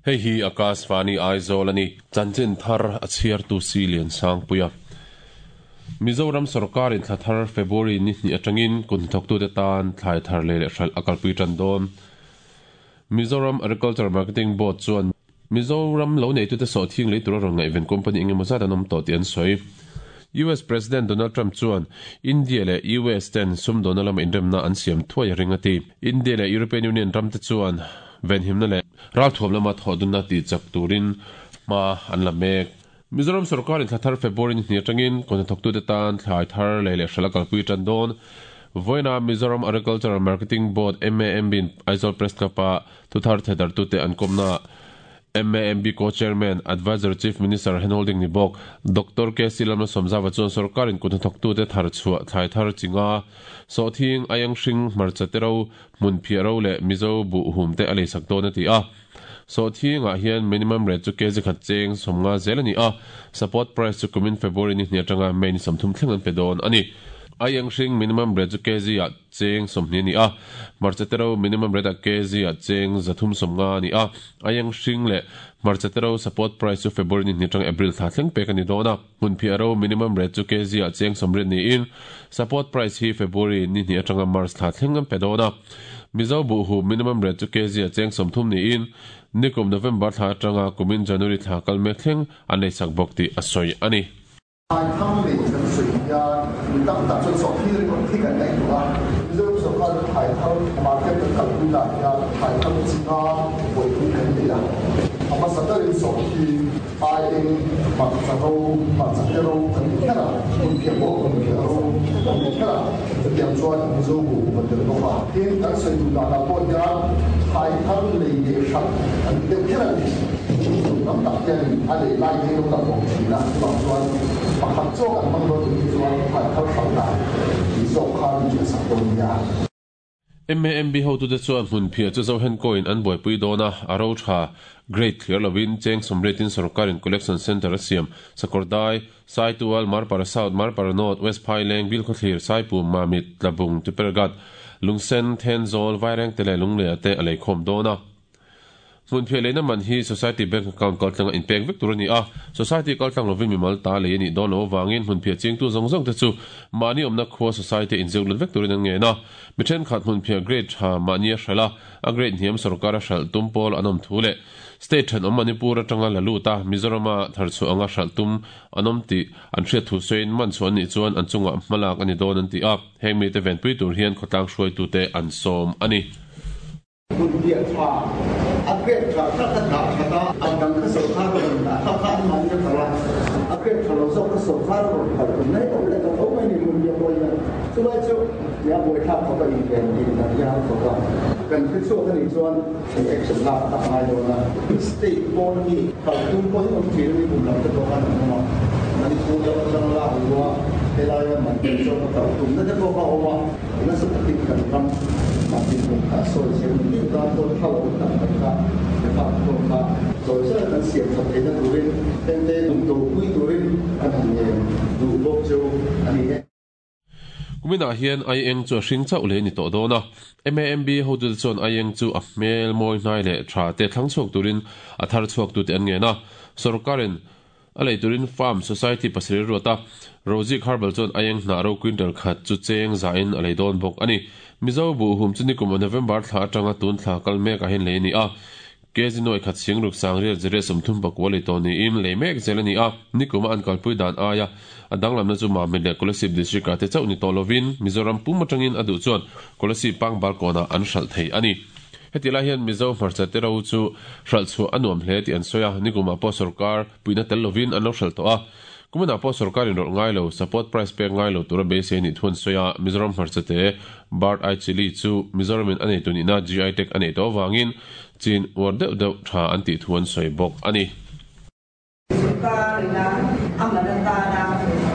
Hei hi Akashvani Aizawl a ni. Chanchin thar a chhiartu Si Liansangpuia. Mizoram sawrkarin thla thar February ni hnih atangin kut hnathawktute tan thlai thar lei leh hralh a kalpui tan dawn. Mizoram Agriculture Marketing Board chuan Mizoram lo neitute sawhthing lei tura rawn ngaihven company eng emaw zat an awm tawh tih an sawi. US President Donald Trump chuan India leh US ten sumdawna lama inremna an siam thuai a ring a ti. India leh European Union ramte chuan venhimna leh ralthuam lama thawhdunna tih chak turin hma an la mek. Mizoram sawrkarin thla thar February ni hnih atangin kawhnathawktute tan thlai thar lei leh hralh a kalpui tan dawn. Vawiina Mizoram Agricultural Marketing Board, MAMB, in Aizawl Press Club-a thuthar thehdarhtute an kawmnaah MAMB Co-Chairman, Adviser Chief Minister handholding ni bawk Doctor KC Lalmalsawmzava chuan sawrkarin kuthnathawktute thar chhuah thlai thar chi nga, sawhthing, aiang hring, hmarcha te ro, hmun phiah ro leh Mizo buh hum te a leisak dawn a ti a. Sawhthingah hian minimum rate chu kg khat cheng 50 zel a ni a, support price chu kumin February ni hnih atanga May ni 30 thleng an pe dawn a ni. Aiang hring minimum rate chu kg ah cheng 20 a ni a, hmarcha te ro minimum rate ah kg ah cheng 350 a ni a, aiang hring leh hmarcha te ro support price chu February ni hnih atanga April thla thleng pek a ni dawn a, hmunphiah ro minimum rate chu kg ah cheng 80 niin support price hi February ni hnih atanga March thla thleng an pe dawn a. Mizo buhhu minimum rate chu kg ah cheng 30 niin nikum November thla atanga kumin January thla kal mek thleng an leisak bawk tih a sawi a ni. Thlai thar lei kan sawi hian mi tam tak chuan sawhthing ringawt hi kan ngaihtuah a, Mizoram sawrkar chu thlai thar market kan kalpui dan hian thlai thar chi nga buaipui kan nei a, a hmasa berin sawhthing, aieng, hmarcha ro, hmarcha te ro kan ti kher a, hmunphiah pawh hmunphiah ro kan ti kher a, chutiang chuan Mizo bu kan tel bawk a. Tin, kan sawi duh danah pawh hian thlai thar lei leh hralh kan ti deuh kher a ni. Tam tak hianin a lei lai hi lo kal awm thin a, chuvang chuan pakhat zawk an hmang dawn nih hi chuan thlai thar hralh dan tih zawk kha min hriatsak dawn nia. MAMB hotute chuan hmunphiah chu Zohenkawiin an buaipui dawn a, a ro tha, grade thliar lovin cheng sawmriatin sawrkarin collection centre a siam, Sakawrdai, Saitual, Marpara South, Marpara North, West Phaileng, Bilkhawthlir, Saipum, Mamit, Tlabung, Tupergat, Lungsen, Thenzawl, Vairengte leh Lungleia te a leikhawm dawn a. Hmunphiah leina man hi Society Bank account kaltlanga inpek vek tur a ni a, Society kaltlang lovin mimal ta lei a nih dawn loh avangin hmunphiah chingtu zawng zawng te chu mahni awmna khua Society inzeuh lut vek turin an ngen a. Mi thenkhat hmunphiah grade tha mahni a hralh a, a grade hniam sawrkar a hralh tum pawl an awm thu leh State thenawm Manipur atanga la lut a, Mizorama tharchhuah anga hralh tum an awm tih an hriat thu sawiin man chhuah an nih chuan an chungah hmalak a ni dawn an ti a, heng mite venpui tur hian khawtlang hruaitute an sawm a ni. Hmunphiah tha, a grade tha kha ka dah that a, a dang kha sawrkar a rawn dah kha kha an mahni a kal a, a grade tha lo zawk kha sawrkar a rawn kal tum mai awm leh ta tho mai ni hmunphiah pawh hian chulai chu nia buaithlak khawp a inven tih dan hi a han thawk a, kan hre chhuak a nih chuan kan action lak tak ngai dawn a, state pawn ami kal tum pawh hi awm thin a ni kum lam te pawh khan an awm a, Manipur lam atanga lak luh a helaia man tel zawk a kal tumna te pawh kha a awm a. Nasa takin kan ram dinhmun kha a sawi zel ni miau tan pawh thla lo tak tak kha Nepal pawh kha zawi zawi kan siam that theihna turin hengte dumdopui turin kan han ngen duh bawk cheu a ni e. Kuminah hian Aieng chu a hring chauh leh a ni tawh dawn a, MAMB hotute chuan Aieng chu a hmel mawi hnai leh tha te thlang chhuak turin a thar chhuaktute an ngen a, sawrkarin A lei turin Farm Society pasarih ruat a, Rozik Herbal chuan aieng hnah ro quintal khat chu cheng zahin a lei dawn bawk a ni. Mizo buhhum chu nikum November thla atanga tun thla kal mekah hian lei a ni a, kg nuai khat sing ruk sang riat ziriat 34 lei tawh niin lei mek zel a ni a, nikuma an kalpui dan aia a danglamna chu Mamit leh Kolasib District ah te chauh ni tawh lovin Mizoram pum atangin a duh chuan Kolasib Pangbal kawnah an hralh thei a ni. Heti lai hian Mizo hmarcha te ro chu hralh chhuah a nuam hle tih an sawi a, nikumah pawh sawrkar puihna tel lovin an lo hralh tawh a. Kuminah pawh sawrkar inrawlh ngai lo, support price pek ngai lo tura beisei nih thu an sawi a, Mizoram hmarcha te Bird Eye Chilli chu Mizoramin a neitu nihna GI tag a neih tawh avangin chin uar deuh deuh tha an tih thu an sawi bawk a ni. Sawrkar ina a man atana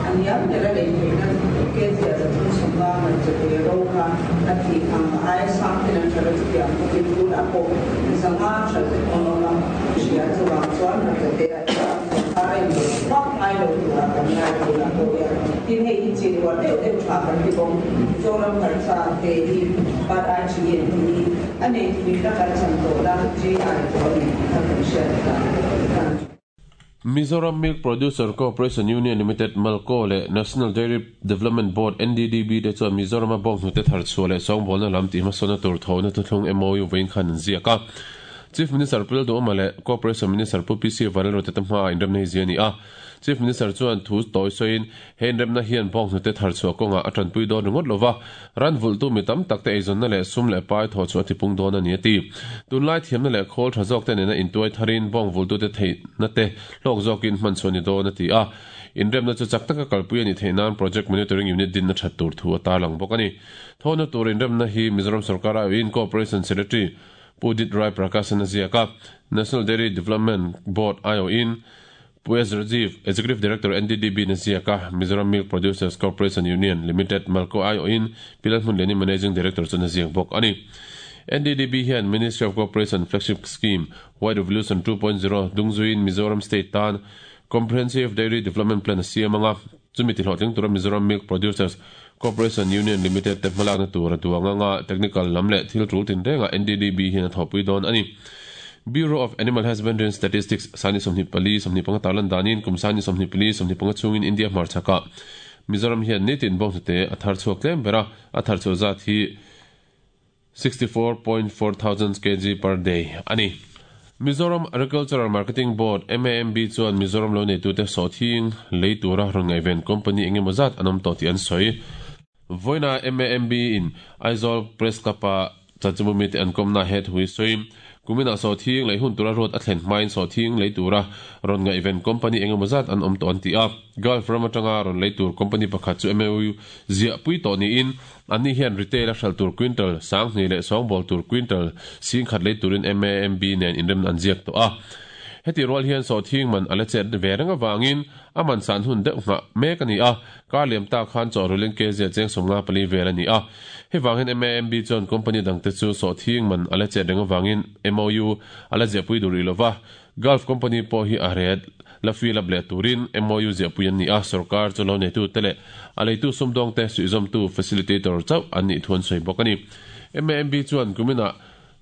a hniam ber a lei theihna kg a 350 man chawhmeh ro kha a tih ang aia sang ten an hralh a, chutiang bawkin tunah pawh 500 hralh te pawh an awm a, hria chuvang chuan hmarchate ah hian sawrkar a inrawlh vak ngai lo turah kan ngai tunah pawh hian. Tin, hei hi chin uar deuh deuh tha kan ti bawk. Mizoram hmarcha te hi Bud Ai Chini an tih hi a nei tui na kan chan tawhna GI pawh a ni tih kha kan hriat dan a ni. Mizoram Milk Producer Corporation Union Limited, Malco, leh National Dairy Development Board, NDDB, te chuan Mizorama bawnghnute thar chhuah leh sawngbawlna lam tihhmasawnna tur thawhna thuthlung MOU vawiin khan an ziak a. Chief Minister Pu Lalduhawma leh Cooperation Minister Pu PC Vanlalruata te hmaah inremna hi zia a ni a. Chief Minister chuan thu tawi sawiin he inremna hian bawnghnute thar chhuah kawngah a tanpui dawn ringawt lova, ran vulhtu mi tam takte eizawnna leh sum leh pai thawh chhuah a tipung dawn a ni a ti. Tunlai thiamna leh khawl tha zawkte nena intuai tharin bawng vulhtute theihna te hlawk zawkin hman chhuah a ni dawn a ti a. Inremna chu chak taka kalpui a nih theih nan Project Monitoring Unit dinna that tur thu a tarlang bawk a ni. Thawhna tur inremna hi Mizoram sorkar aiawhin Cooperation Secretary Pu Udit Rai Prakash-an a ziak a, National Dairy Development Board aiawhin Pu S. Rajiv, Executive Director NDDB in a ziak a, Mizoram Milk Producers Corporation Union Limited, Malco aiawhin Pi Lalhmunliani Managing Director chuan a ziak bawk a ni. NDDB hian Ministry of Cooperation Flagship Scheme, White Revolution 2.0 dungzuiin Mizoram State tan Comprehensive Dairy Development Plan a siam anga, chumi tihlawhtling tura Mizoram Milk Producers Corporation Union Limited te hmalakna tur a duang anga technical lam leh thil tul tinrengah NDDB hian a thawhpui dawn a ni. Bureau of Animal Husbandry and Statistics sani 24 25 tarlan danin kum sani 24 25 chhungin India hmarchhakah Mizoram hian nitin bawnghnute a thar chhuak tlem ber a, a thar chhuah zat hi 64.4 thousand kg per day a ni. Mizoram Agricultural Marketing Board, MAMB, chuan Mizoram lo neitute sawhthing lei tura rawn ngaihven company eng emaw zat an awm tawh tih an sawi. Vawiina MAMB in Aizawl Press Club-a chanchinbu mite an kawmna he thu hi sawi. Kuminah sawhthing lei hun tura ruat a thlen hmain sawhthing lei tura rawn ngaihven company eng emaw zat an awm tawh an ti a. Gulf ram atanga rawn lei tur company pakhat chu MOU ziahpui tawh niin Anni hian retail a hralh tur quintal 2000 leh sawngbawl tur quintal 10,000 lei turin MAMB nen inremna an ziak tawh a. Heti rual hian sawhthing man a la chet ve reng avangin a man san hun deuh nghah mek a ni a, kar liam tak khan chawhrulin kz cheng 54 vel a ni a. Hei vang hian MAMB chuan company dangte chu sawhthing man a la chet reng avangin MOU a la ziahpui duh rih lova, Gulf company pawh hi a ret la fill up leh turin MOU ziahpui an ni a, sorkar chu lo neitute leh a leitu sumdawngte suihzawmtu, facilitator, chauh an nih thu an sawi bawk a ni. MAMB chuan kuminah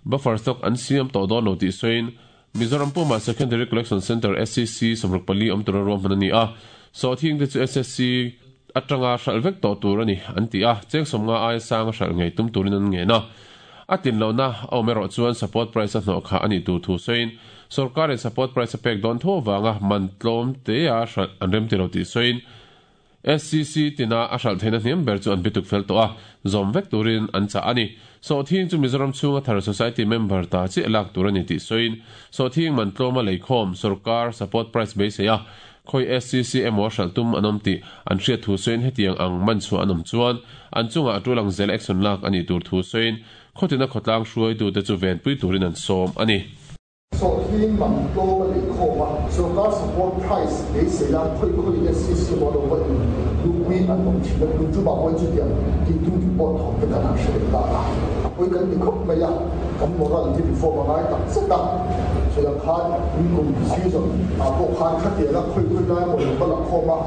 buffer stock an siam tawh dawn lo tih sawiin Mizoram pumah Secondary Collection Centre, SCC, 64 awm tura ruahman a ni a, sawhthingte chu SSC atanga hralh vek tawh tur a ni an ti a, cheng 50 aia sanga hralh ngei tum turin an ngen a. A tlin lohna a awm erawh chuan support price a hnawh khah a nih tur thu sawiin sorkarin support price a pek dawn tho avanga man tlawm tea hralh an rem ti lo tih sawiin SCC tina a hralh theihna hniam ber chu an bituk fel tawh a, zawm vek turin an chah a ni. Sawhthing chu Mizoram chhunga thar society member ta chiah lak tur a ni tih sawiin sawhthing man tlawma leikhawm sorkar support price beisei a Khawi SCC emaw hralh tum an awm tih an hriat thu sawiin hetiang ang man chhuah an awm chuan an chungah a tul ang zel action lak a nih tur thu sawiin khawtina khawtlang hruaitute chu venpui turin an sawm a ni. Sawhthing man tlawm a lei khawm a, sorkar support price beisei a khawi khawi SCC emaw lo va in luhpui an awm thin a, tun tumah pawhin chutiang tih tum tih pawh thawm te kan han hre leh ta a, a pawi kan ti khawp mai a, kan moral hi reform a ngai tak zet a, chutiang khan Kum season ah pawh khan khatiang a khawi khawi lai emaw lo va la khawm a,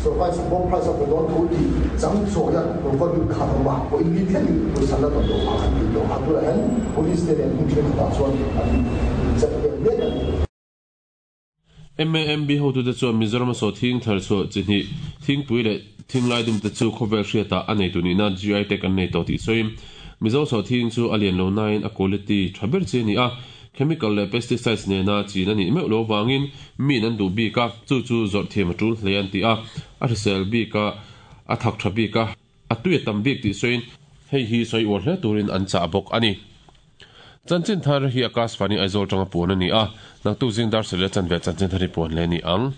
sorkar support price a pe dawn tho tih chang chawi a lo va lut khan awm a, pawh in ni thlengin pawisa la dawn loh kha kan tih tawh kha tunah hian police te nen hmun thenkhatah chuan an chet vel mek a ni. MAMB hotute chuan Mizoram a sawhthing thar chhuah chi hnih, thingpui leh thinglai dumte chu khawvel hriatah a neitu nihna GI tag an nei tawh tih sawiin, Mizo sawhthing chu a lian lo nain a quality tha ber chi a ni a, Chemical leh pesticides nena chin a nih meuh lo vangin miin an duh bik a, chu chu zawrh thiam a tul hle an ti a, a hrisel bik a, a thak tha bik a, a tui a tam bik tih sawiin hei hi sawi uar hle turin an chah bawk a ni. Chanchin thar hi Akashvani Aizawl tanga puan a ni a, naktuk zing dar sarih a chanve chanchin thar hi puan hle a ni ang.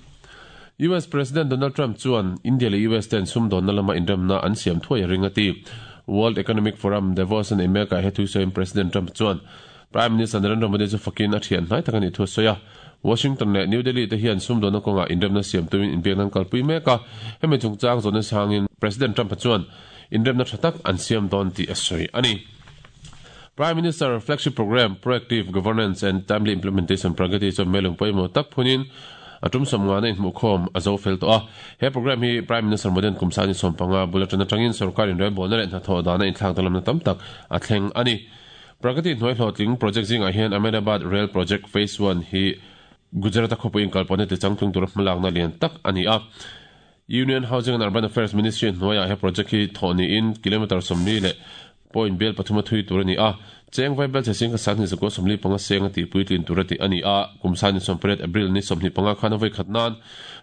US President Donald Trump chuan India leh US ten sumdawnna lama inremna an siam thuai a ring a ti. World Economic Forum Davos an America he thusawiin President Trump chuan Prime Minister Narendra Modi chu fakin a thian hnai tak a nih thu a sawi a. Washington leh New Delhi te hian sumdawnna kawngah inremna siam tumin inbiakna an kalpui mek a, hemi chungchang zawhna sangin President Trump-a chuan inremna tha tak an siam dawn tih a sawi a ni. Prime Minister Flagship Programme, Proactive Governance and Timely Implementation, Pragati, chuan melung pawimawh tak phunin A tum 50 na inhmuhkhawm a zo fel tawh a. He programme hi Prime Minister Modi-a'n kum sani 15 bul atana tangin sorkar inrelbawlna leh hnathawh dana inthlak danglamna tam tak a thleng a ni. Pragati hnuai hlawhtling project zingah hian Ahmedabad Rail Project Phase One hi Gujarat-a khawpui inkalpawhna tichangtlung tura hmalakna lian tak a ni a. Union Housing and Urban Affairs Ministry hnuaiah he project hi thawh niin kilometre 40 leh point bial pathuma thui tur a ni a. Cheng Vaibel chhe sing kha 2145 seng a tih puitlin tur a tih a ni a. Kum 28 April ni 25 khan a vawikhat nan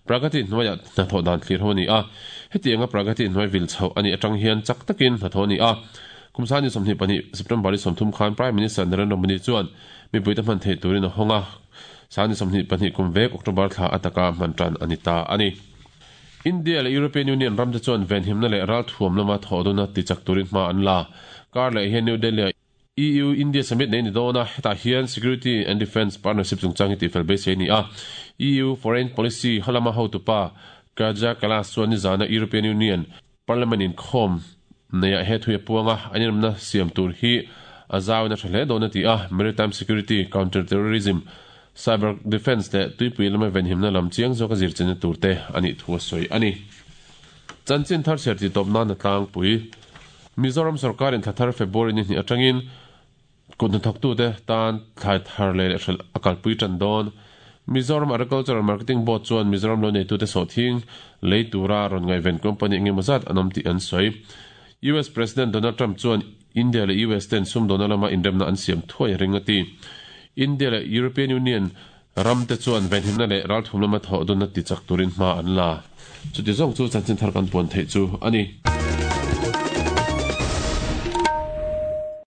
Pragati hnuaiah hnathawh dan thlir ho a ni a. Hetianga Pragati hnuai vil chhoh a nih atang hian chak takin hnathawh a ni a. Kum 22 September ni 30 khan Prime Minister Narendra Modi chuan mipuite hman theih turin a hawng a. 22 kum vek October thla ataka hman tan a ni ta a ni. India leh European Union ramte chuan venhimna leh ralthuam lama thawhduna tichak turin hma an la. Kar leh hian New Delhi-ah EU-India Summit nei ni dawn a, hetah hian Security and Defence Partnership chungchang hi tihfel beisei a ni a. EU Foreign Policy halama hotupa Kaja Kallas chuan nizana European Union Parliament inkhawm neiah he thui a puang a, an inawmna siam tur hi a zauin a tha hle dawn a ti a, Maritime Security, Counter Terrorism, Cyber Defence leh tuipui lama venhimna lam chiang zawka zirchenna tur te a nih thu a sawi a ni. Chanchin thar chhiar tih tawp nan a tlangpui. Mizoram sorkarin thla thar February ni hnih atangin Kut hnathawktute tan thlai thar leh leh hralh a kalpui tan dawn. Mizoram Agricultural Marketing Board chuan Mizoram lo neitute sawhthing lei tura rawn ngaihven company eng emaw zat an awm tih an sawi. US President Donald Trump chuan India leh US ten sumdawna lama inremna an siam thuai a ring a ti. India leh European Union ramte chuan venhimna leh ralthum lama thawh dunna tichak turin hma an la. Chuti zawng chu chanchin thar kan puan theih chu a ni.